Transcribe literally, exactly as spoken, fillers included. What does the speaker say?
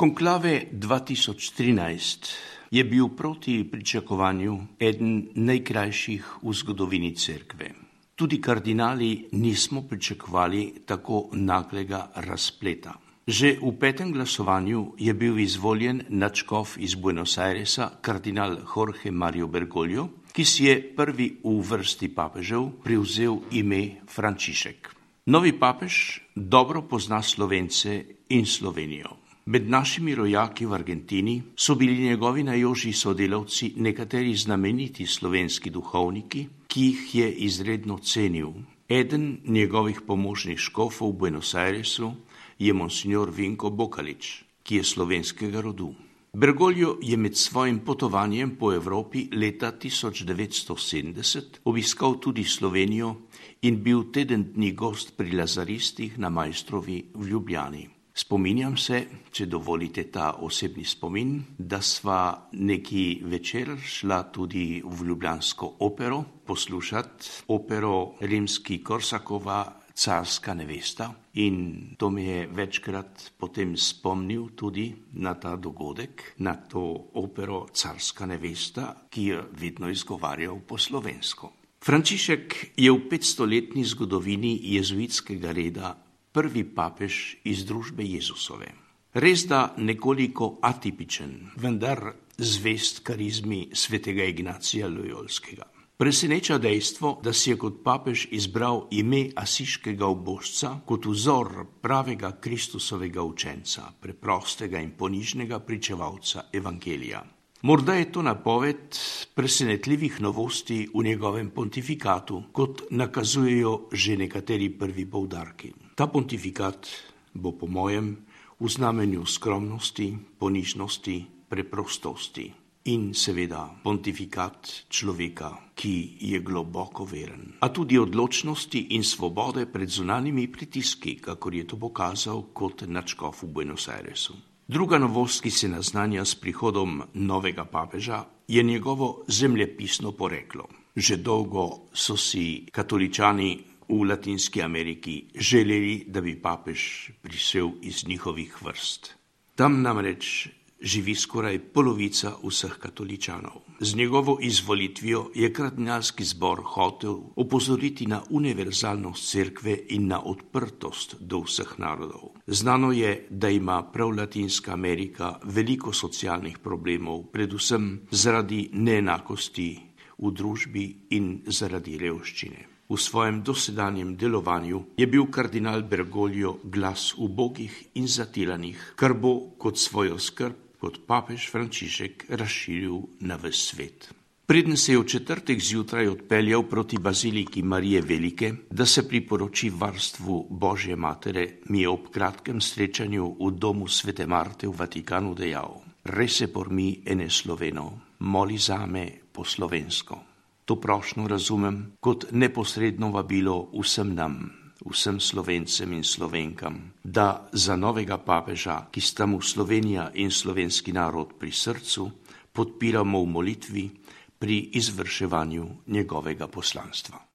Konklave dva tisoč trinajst je bil proti pričakovanju eden najkrajših v zgodovini cerkve. Tudi kardinali nismo pričakovali tako naglega razpleta. Že v petem glasovanju je bil izvoljen nadškof iz Buenos Airesa, kardinal Jorge Mario Bergoglio, ki si je prvi v vrsti papežev privzel ime Frančišek. Novi papež dobro pozna Slovence in Slovenijo. Med našimi rojaki v Argentini so bili njegovi najožji sodelavci nekateri znameniti slovenski duhovniki, ki jih je izredno cenil. Eden njegovih pomožnih škofov v Buenos Airesu je monsignor Vinko Bokalič, ki je slovenskega rodu. Bergoglio je med svojim potovanjem po Evropi leta tisoč devetsto sedemdeset obiskal tudi Slovenijo in bil teden dni gost pri lazaristih na Maistrovi v Ljubljani. Spominjam se, če dovolite ta osebni spomin, da sva neki večer šla tudi v ljubljansko opero poslušati opero Rimski-Korsakova Carska nevesta, in to me je večkrat potem spomnil tudi na ta dogodek, na to opero Carska nevesta, ki je vedno izgovarjal po slovensko. Frančišek je v petstoletni zgodovini jezuitskega reda prvi papež iz družbe Jezusove. Res da nekoliko atipičen, vendar zvest karizmi svetega Ignacija Lojolskega. Preseneča dejstvo, da si je kot papež izbral ime asiškega ubožca kot vzor pravega Kristusovega učenca, preprostega in ponižnega pričevalca evangelija. Morda je to napoved presenetljivih novosti v njegovem pontifikatu, kot nakazujejo že nekateri prvi poudarki. Ta pontifikat bo po mojem v znamenju skromnosti, ponižnosti, preprostosti in seveda pontifikat človeka, ki je globoko veren, a tudi odločnosti in svobode pred zunanjimi pritiski, kakor je to pokazal kot nadškof v Buenos Airesu. Druga novost, ki se naznanja s prihodom novega papeža, je njegovo zemljepisno poreklo. Že dolgo so si katoličani v Latinski Ameriki želeli, da bi papež prišel iz njihovih vrst. Tam namreč živi skoraj polovica vseh katoličanov. Z njegovo izvolitvijo je kardinalski zbor hotel opozoriti na univerzalnost cerkve in na odprtost do vseh narodov. Znano je, da ima prav Latinska Amerika veliko socialnih problemov, predvsem zaradi neenakosti v družbi in zaradi revščine. V svojem dosedanjem delovanju je bil kardinal Bergoglio glas ubogih in zatiranih, kar bo kot svojo skrb kot papež Frančišek razširil na ves svet. Preden se je v četrtek zjutraj odpeljal proti baziliki Marije Velike, da se priporoči varstvu Božje matere, mi je ob kratkem srečanju v domu svete Marte v Vatikanu dejal: "Rese por mi ene sloveno, moli zame po slovensko." To prošnjo razumem kot neposredno vabilo vsem nam, vsem Slovencem in Slovenkam, da za novega papeža, ki sta mu Slovenija in slovenski narod pri srcu, podpiramo v molitvi pri izvrševanju njegovega poslanstva.